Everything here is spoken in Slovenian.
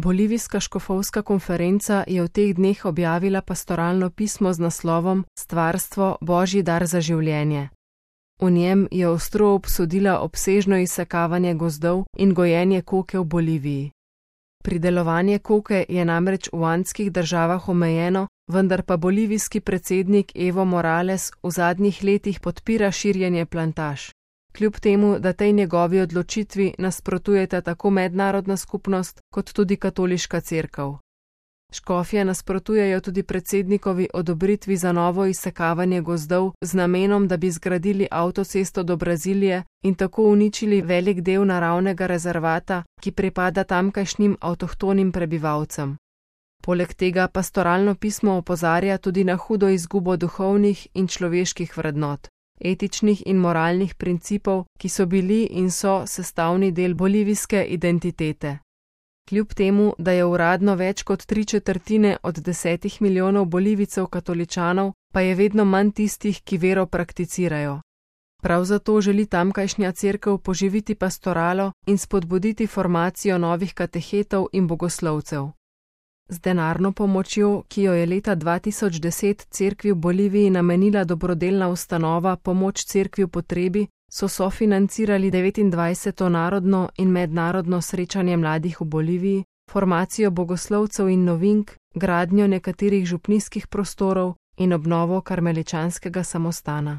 Bolivijska škofovska konferenca je v teh dneh objavila pastoralno pismo z naslovom Stvarstvo, Božji dar za življenje. V njem je ostro obsodila obsežno izsekavanje gozdov in gojenje koke v Boliviji. Pridelovanje koke je namreč v andskih državah omejeno, vendar pa bolivijski predsednik Evo Morales v zadnjih letih podpira širjenje plantaž. Kljub temu, da tej njegovi odločitvi nasprotujeta tako mednarodna skupnost kot tudi katoliška cerkev. Škofje nasprotujejo tudi predsednikovi odobritvi za novo izsekavanje gozdov z namenom, da bi zgradili avtocesto do Brazilije in tako uničili velik del naravnega rezervata, ki pripada tamkajšnjim avtohtonim prebivalcem. Poleg tega pastoralno pismo opozarja tudi na hudo izgubo duhovnih in človeških vrednot, etičnih in moralnih principov, ki so bili in so sestavni del bolivijske identitete. Kljub temu, da je uradno več kot 3/4 od 10 milijonov Bolivijcev katoličanov, pa je vedno manj tistih, ki vero prakticirajo. Prav zato želi tamkajšnja cerkev poživiti pastoralo in spodbuditi formacijo novih katehetov in bogoslovcev. Z denarno pomočjo, ki jo je leta 2010 cerkvi v Boliviji namenila dobrodelna ustanova Pomoč cerkvi v potrebi, so sofinancirali 29. narodno in mednarodno srečanje mladih v Boliviji, formacijo bogoslovcev in novink, gradnjo nekaterih župnijskih prostorov in obnovo karmeličanskega samostana.